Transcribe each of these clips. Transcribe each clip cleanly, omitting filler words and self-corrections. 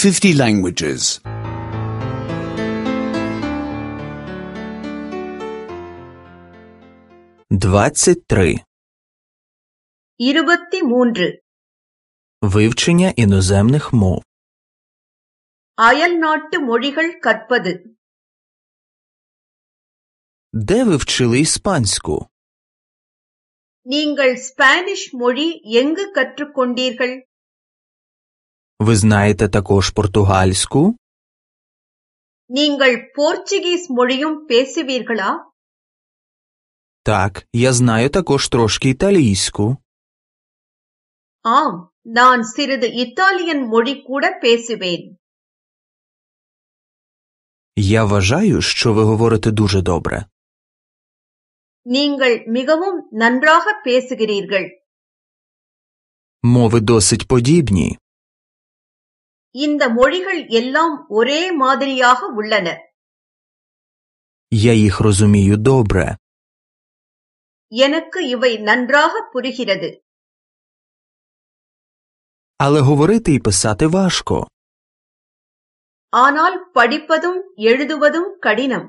50 languages. 23. 23. Вивчення іноземних мов. அயல்நாட்டு மொழிகள் கற்பது. Де ви вчили іспанську? நீங்கள் ஸ்பானிஷ் மொழி எங்கு கற்றுக்கொண்டீர்கள்? Ви знаєте також португальську? நீங்கள் போர்ச்சுகீஸ் மொழியும் பேசுவீர்களா? Так, я знаю також трошки італійську. ஆம், நான் சிறிது இத்தாலியன் மொழி கூட பேசுவேன். Я вважаю, що ви говорите дуже добре. நீங்கள் மிகவும் நன்றாக பேசுகிறீர்கள். Мови досить подібні. இந்த மொழிகள் எல்லாம் ஒரே மாதிரியாக உள்ளன. Я їх розумію добре. எனக்கு இவை நன்றாக புரிகிறது. Але говорити і писати важко. ஆனால் படிப்பதும் எழுதுவதும் கடினம்.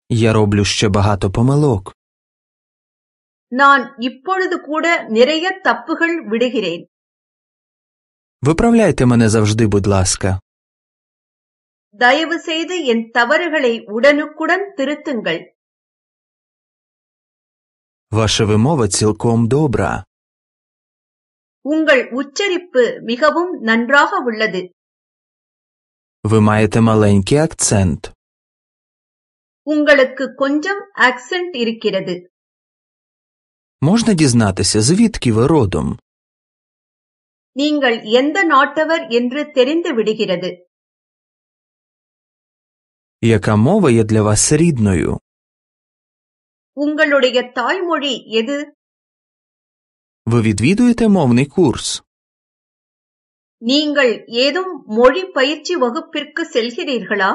Я роблю ще багато помилок. நான் இப்பொழுது கூட நிறைய தப்புகள் விடுகிறேன். Виправляйте мене завжди, будь ласка. தயவு செய்து என் தவறுகளை உடனுக்குடன் திருத்துங்கள். Ваша вимова цілком добра. உங்கள் உச்சரிப்பு மிகவும் நன்றாக உள்ளது. Ви маєте маленький акцент. உங்களுக்கு கொஞ்சம் ஆக்சென்ட் இருக்கிறது. Можна дізнатися, звідки ви родом? நீங்கள் எந்த நாட்டவர் என்று தெரிந்து விடுகிறது. Яка мова є для вас рідною? உங்களுடைய தாய்மொழி எது? Ви відвідуєте мовний курс? நீங்கள் ஏதும் மொழி பயிற்சி வகுப்பிற்கு செல்கிறீர்களா?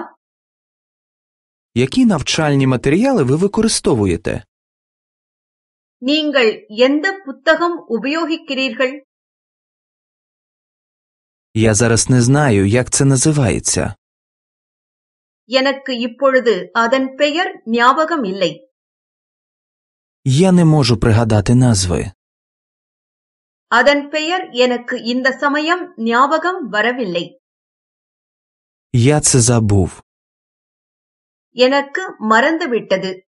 Які навчальні матеріали ви використовуєте? நீங்கள் எந்த புத்தகம் உபயோகிக்கிறீர்கள்? Я зараз не знаю, як це називається. எனக்கு இப்பொழுது அதன் பெயர் ஞாபகம் இல்லை. Я не можу пригадати назви. அதன் பெயர் எனக்கு இந்த சமயம் ஞாபகம் வரவில்லை. Я це забув. எனக்கு மறந்துவிட்டது.